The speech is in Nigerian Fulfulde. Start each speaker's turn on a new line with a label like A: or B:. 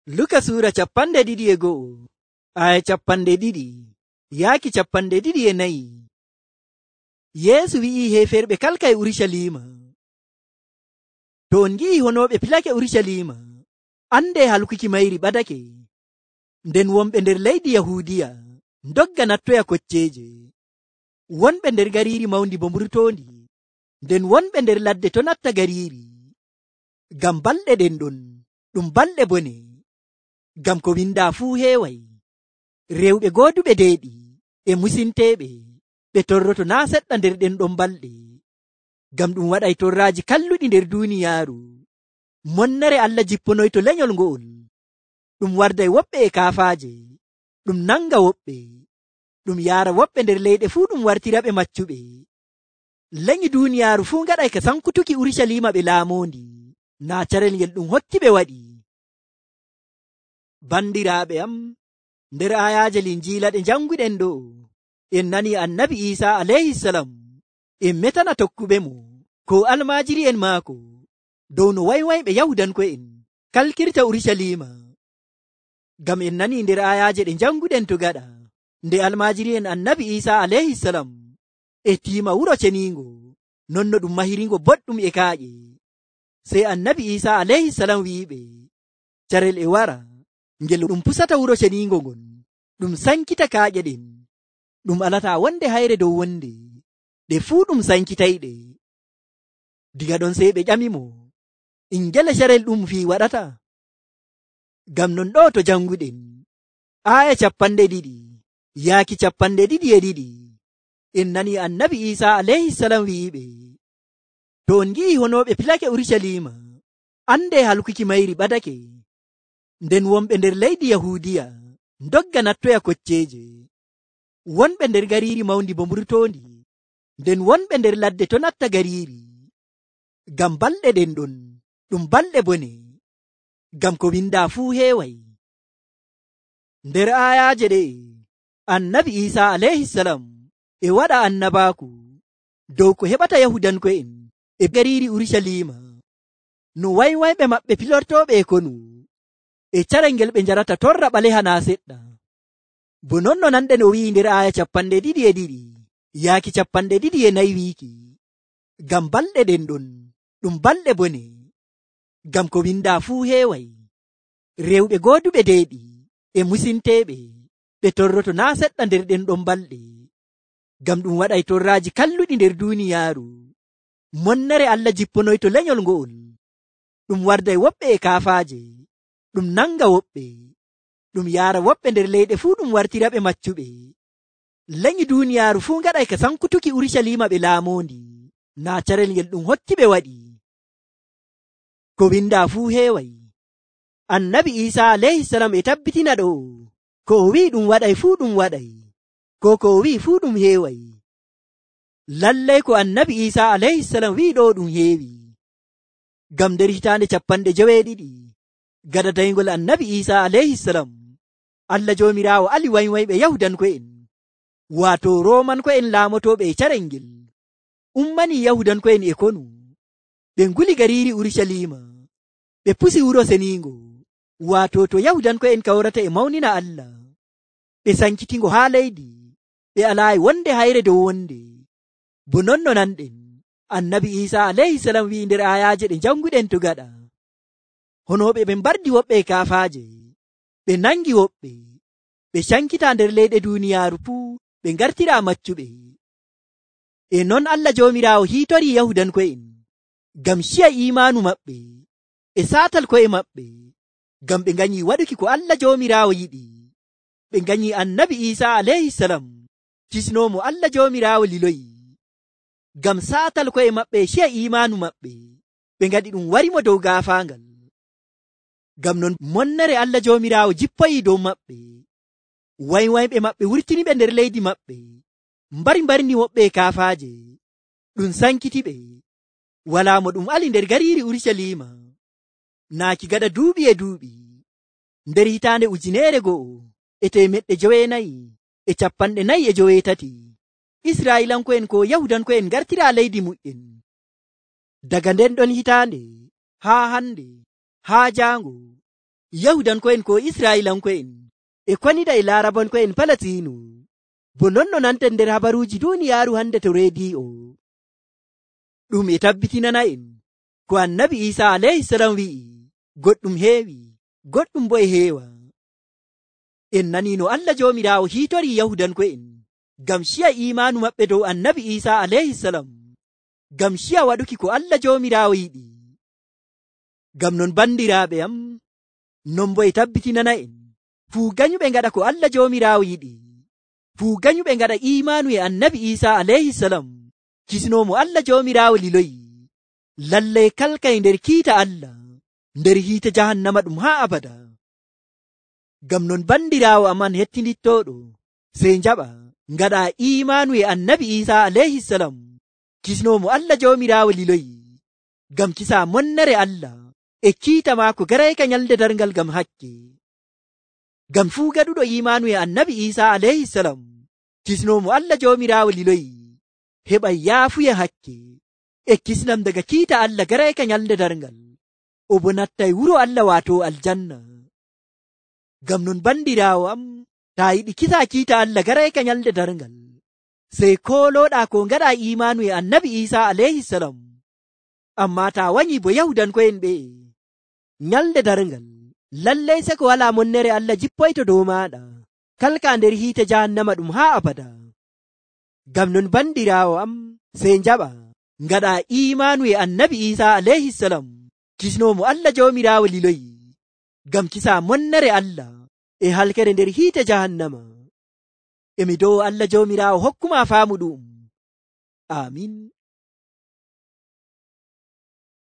A: Luka Sura 12 aya 2 yaaki 24. Yeesu wi'i heferɓe kalka e Urusalima, to on ngi'i honoɓe pilake Urusalima, ande halkuki mayri ɓadake. Nden wonɓe nder leydi Yahudiya ndogga nattoya kocceje, wonɓe nder gariiri mawndi bo mburtondi, nden wonɓe nder ladde to natta gariiri. Ngam balɗe ɗen ɗon ɗum balɗe bone, ngam ko windaa fuu heeway. Rewɓe gooduɓe deeɗi e musinteeɓe ɓe torroto naa seɗɗa nder ɗen ɗon balɗe, ngam ɗum waɗay torraaji kalluɗi nder duuniyaaru. Monnere Allah jipponoyto lenyol ngo'ol, ɗum warday woɓɓe e kaafaaje, ɗum nanga woɓɓe, ɗum yaara woɓɓe nder leyɗe fuu ɗum wartiraɓe maccuɓe. Lenyi duuniyaaru fuu ngaɗay ka sankutuki Urusalima ɓe laamoondi, naa carel ngel ɗum hokki ɓe waɗi. Bandiraaɓe am, nder ayaaje Linjiila ɗe janguɗen ɗo, en nani annabi Iisa alayhisalam en metana tokkuɓe mo ko almaajiri'en maako dow no waywayɓe Yahudanko'en kalkirta Urusalima. Ngam en nani nder ayaaje ɗe janguɗen to gaɗa, nde almaajiri'en annabi Iisa alayhisalam e tiima wuro ceniingo, non no ɗum mahiringo boɗɗum e kaaƴe. Sey annabi Iisa alayhisalam wi'iɓe, carel e wara ngel ɗum pusata wuro ceniingo ngon, ɗum sankita kaaƴe ɗen, ɗum alataa wonde hayre dow wonde, ɗe fuu ɗum sankitayɗe. Diga ɗon sey ɓe ƴamimo, ingele carel ɗum fii waɗata? Ngam non ɗo to janguɗen aya 2 yaaki 22 en nani annabi Iisa alayhisalam wi'iɓe, to on ngi'i honoɓe pilake Urusalima, ande halkuki mayri ɓadake. Nden wonɓe nder leydi Yahudiya ndogga nattoya kocceje, wonɓe nder gariiri mawndi bo mburtondi, nden wonɓe nder ladde to natta gariiri. Ngam balɗe ɗen ɗon ɗum balɗe bone, ngam ko windaa fuu heeway. Nder ayaaje ɗe annabi Iisa alayhisalam e waɗa annabaaku dow ko heɓata Yahudanko'en e gariiri Urusalima, no waywayɓe maɓɓe pilortooɓe e konu, e carel ngel ɓe njarata torra ɓaleha naa seɗɗa. Bo non no nanɗen o wi'i nder aya 22 yaaki 24 wiiki, ngam balɗe ɗen ɗon ɗum balɗe bone, ngam ko windaa fuu heeway. Rewɓe gooduɓe deeɗi e musinteeɓe ɓe torroto naa seɗɗa nder ɗen ɗon balɗe, ngam ɗum waɗay torraaji kalluɗi nder duuniyaaru. Monnere Allah jipponoyto lenyol ngo'ol, ɗum warday woɓɓe e kaafaaje, ɗum nanga woɓɓe, ɗum yaara woɓɓe nder leyɗe fuu ɗum wartiraɓe maccuɓe. Lenyi duuniyaaru fuu ngaɗay ka sankutuki Urusalima ɓe laamoondi, naa carel ngel ɗum hokki ɓe waɗi. Ko windaa fuu heeway. Annabi Iisa alayhisalam e tabbitina ɗo, ko o wi'i ɗum waɗay fuu ɗum waɗay, ko o wi'i fuu ɗum heeway. Lallay ko annabi Iisa alayhisalam wi'i ɗo ɗum heewi. Ngam nder hitaande 70 gada daygol annabi Iisa alayhisalam, Allah Joomiraawo ali waywayɓe Yahudanko'en, waato Roomanko'en laamotoɓe e carel ngel, ummani Yahudanko'en e konu. Ɓe nguli gariiri Urusalima, ɓe pusi wuro seniingo, waato to Yahudanko'en kawrata e mawnina Allah. Ɓe sankitingo haa leydi, ɓe alaayi wonde hayre dow wonde. Bo non no nanɗen annabi Iisa alayhisalam wi'i nder ayaaje ɗe janguɗen to gaɗa, honoɓe ɓe mbardi woɓɓe e kaafaaje, ɓe nangi woɓɓe, ɓe cankita nder leyɗe duuniyaaru fuu ɓe ngartira maccuɓe. E non Allah Joomiraawo hiitori Yahudanko'en ngam ciya imaanu maɓɓe e saatal ko'e maɓɓe, ngam ɓe nganyi waɗuki ko Allah Joomiraawo yiɗi. Ɓe nganyi annabi Iisa alayhisalam kisnoomo Allah Joomiraawo liloyi, ngam saatal ko'e maɓɓe e ciya imaanu maɓɓe, ɓe ngaɗi ɗum warimo dow gaafaangal. Ngam non monnere Allah Joomiraawo jippoyi dow maɓɓe, waywayɓe maɓɓe wurtiniɓe nder leydi maɓɓe, mbarni woɓɓe e kaafaaje, ɗum sankitiɓe. Walaa mo ɗum ali nder gariiri Urusalima, naaki gada duuɓi e duuɓi. Nder hitaande 1943 Israa'ilanko'en ko Yahudanko'en ngartira leydi mu'en. Daga nden ɗon hitaande haa hande, haa jaango, yahudanko'en ko isra'ilanko'en e konida e larabanko'en Falasinu bo non no nanten nder habaruuji duniyaaru hande to rediyo ɗum e tabbitinana'en ko annabi Isa alayhisalam wi'i goɗɗum heewi goɗɗum bo e heewa. En nani no Allah joomiraawo hiitori yahudanko'en ngam ciya imanu maɓɓe dow annabi Isa alayhisalam ngam ciya waɗuki ko Allah joomiraawo yiɗi. Ngam non bandiraaɓe am, non bo e tabbitinana'en fuu ganyuɓe ngaɗa ko Allah joomiraawo yiɗi, fuu ganyuɓe ngaɗa imanu e annabi Isa alayhisalam kisnomo Allah joomiraawo liloyi, lallay kalkay nder kiita Allah nder hiite jahannama ɗum haa abada. Ngam non bandiraawo aman hettinittooɗo, sey njaɓa ngaɗa imanu e annabi Isa alayhisalam kisnomo Allah joomiraawo liloyi, ngam kisa monnere Allah e kiita maako garayka nyalde darngal ngam hakke. Ngam fuu gaɗuɗo imanu e annabi Isa alayhisalam kisnomo Allah joomiraawo liloyi heɓay yaafuya hakke e kisnam daga kiita Allah garayka nyalde darngal, o bo nattay wuro Allah waato aljanna. Ngam non bandiraawo am, taa yiɗi kisa kiita Allah garayka nyalde darngal, sey kooloɗa ko ngaɗa imanu e annabi Isa alayhisalam, amma taa wanyi bo yahudanko'en ɓe nyalde darngal, lallay se ko wala monnere Allah jippoyto dow maɗa kalka nder hiite jahannama ɗum haa abada. Ngam non bandiraawo am, sey njaɓa ngaɗa imanu e annabi Isa alayhisalam kisnomo Allah joomiraawo liloyi, ngam kisa monnere Allah e halkere nder hiite jahannama. Emi dow Allah joomiraawo hokkuma faamu ɗum. Amin.